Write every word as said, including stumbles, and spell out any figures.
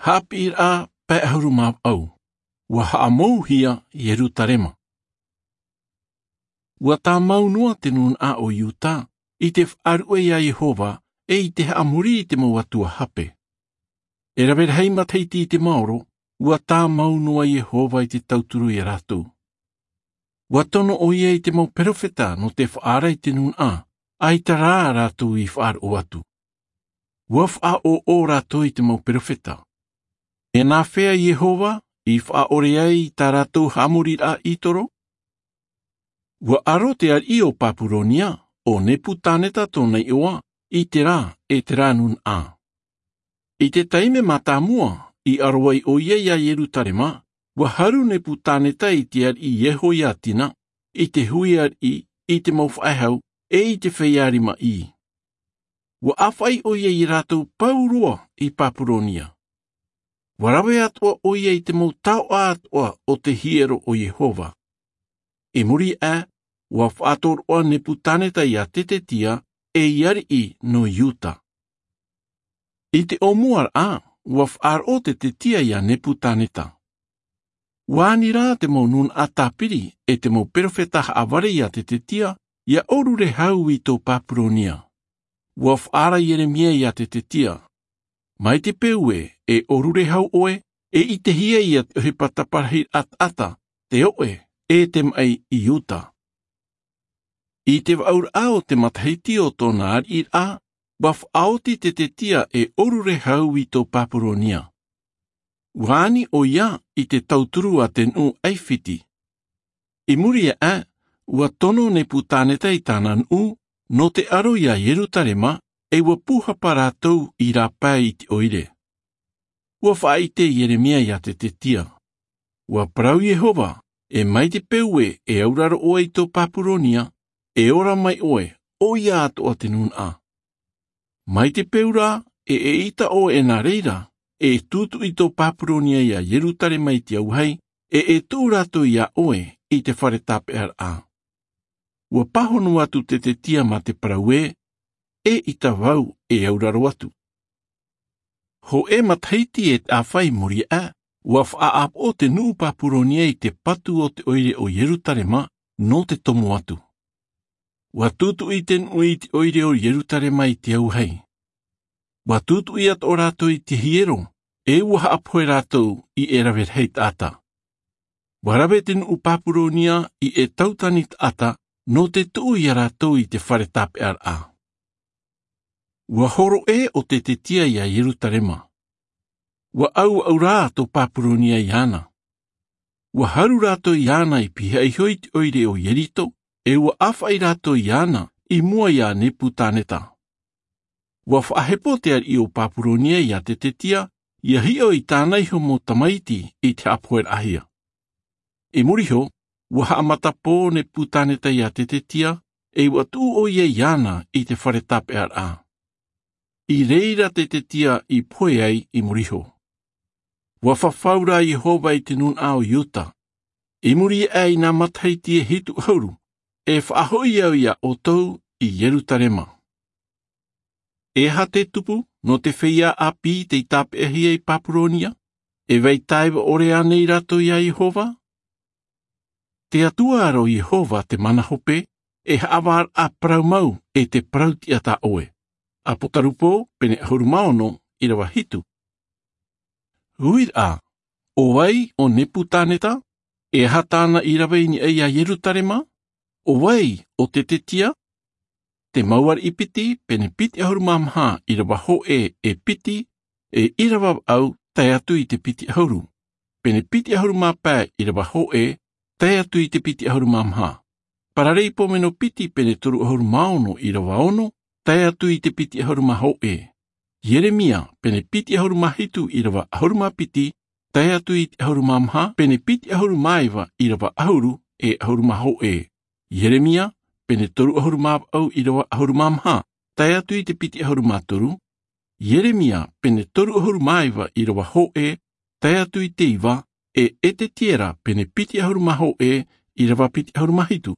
Hapi a pe ahuru ma au. Ua haamouhia Yerutarema. Ua tā maunua te nun a o Iuta, i te whaarue ia Yehova, e i te haamuri i te mau atua hape. E rawer hei mateiti i te maoro, ua tā maunua Yehova i te tauturu i rātou. Ua tono o ia i te mau perofeta no te whaara i te nun a, ai ta rā rātou i whaar o atu. Ua wha o o rātou i te mau perofeta. E nā whea Yehova i whaore ai tā rātou haamuri a itoro? Ua aro te ar i o Papuronia, o Neputaneta tōna ioa, i te rā e te rā nun a. I te taime mātāmua, i aroai o ia ia Yerutarema, ua haru Neputaneta i te ar i Yehoiatina, i te hui ar i, i te mau whaehau, e i te wheiarima i. Ua awhai o ia i rātou pauroa i Papuronia. Ua rawe atua o ia i te mau tau atua o te hiero o Yehova. E muri a, ua whaatoroa Neputaneta i a Tetetia e iari i no Iuta. I te o muar a, ua whaaro te tetia i a Neputaneta. Ua ani rā te mau nun a tāpiri e te mau perofeta haaware i a te tetia ia orure hau i tō Papuronia. Ua whaara Jeremia i a te tetia. Mai te peue e orure hau oe e i te hia i a te ohe at ata te oe e te mai i Iuta. I te waur ao te mataheiti o tōna ar i a, ua whaoti te tetia e orure hau i tō Papuronia. Wāni o ia i te tauturu a te nu aiwhiti. I muri e a, ua tono Neputaneta i tāna nu, no te aro ia Yerutarema, e ua puhapa rātou i rāpai i te oire. Ua whaite Jeremia ia te tetia. Ua parau Yehova, e mai te peue e auraro oe i tō Papuronia, e ora mai oe, o ia atoa te nun a. Mai te peura e e ita oe e nā reira, e tūtu i tō Papuronia ia Yerutarema i te auhei, e e tū rātou ia oe i te whare tapear a. Ua pahono atu te tetia ma te paraue, e i tawau e auraro atu. Ho e mataiti e a whai muri a, ua whaap o te nuu Papuronia i te patu o te oire o Yerutarema no te tomo atu. Ua tūtu i te nui i te oire o Yerutarema i te auhei. Ua tūtu i at o rātou i te hiero, e ua haapoe rātou i e rawer hei ata. Ua rawe te nuu Papuronia i e tautani ata no te tuu i a rātou i te whare tapear a. Ua horo e o te tetia ia Yerutarema. Ua au au rā tō Papuronia i ana. Ua haru rātou i ana i piha i hoi te oire o Yerito, e ua awhai rātou i ana i mua i a Neputaneta. Ua whaahepo te ar i o Papuronia i a te tetia, ia hio i tāna iho mō tamaiti i te apoer ahia. E muriho, ua haamata pō Neputaneta i a te tetia, e ua tū o ia i ana i te whare tapear a. I reira te tetia i poe ai i muriho. Ua whawhaura Yehova i te nun ao Iuta. I muri ai nā mataiti e hitu hauru, e whaahoi au ia o tau i Yerutarema. E ha te tupu no te whia a pi te i tāpehia i Papuronia, e vei taiwa ore anei rato ia Yehova? Te atua aro Yehova te manahope, e haawar a praumau e te prautia ta oe. A potarupo pene ahuru maono i rawa hitu. Huir a, o wai o Neputaneta, e hatāna i rawe ini ei a Yerutarema? O wai o te tetia? Te mauar i piti, pene piti ahuru mamha i rawa ho e e piti, e i rawa au tae atu i te piti ahuru. Pene piti ahuru māpē i rawa ho e, tae atu i te piti ahuru mamha. Pararei pomeno piti pene toru ahuru maono i rawa ono, tae atu i te piti ahuru maho e. Jeremia, pene piti ahuru mahitu i rawa ahuru mapiti, tae atu i te ahuru mamha, pene piti ahuru maiwa i rawa ahuru e ahuru maho e. Jeremia, pene toru ahuru mapau i rawa ahuru mamha, tae atu i te piti ahuru matoru. Jeremia, pene toru ahuru maiwa i rawa ho e, tae atu i te iwa, e e te tiera pene piti ahuru maho e i rawa piti ahuru mahitu.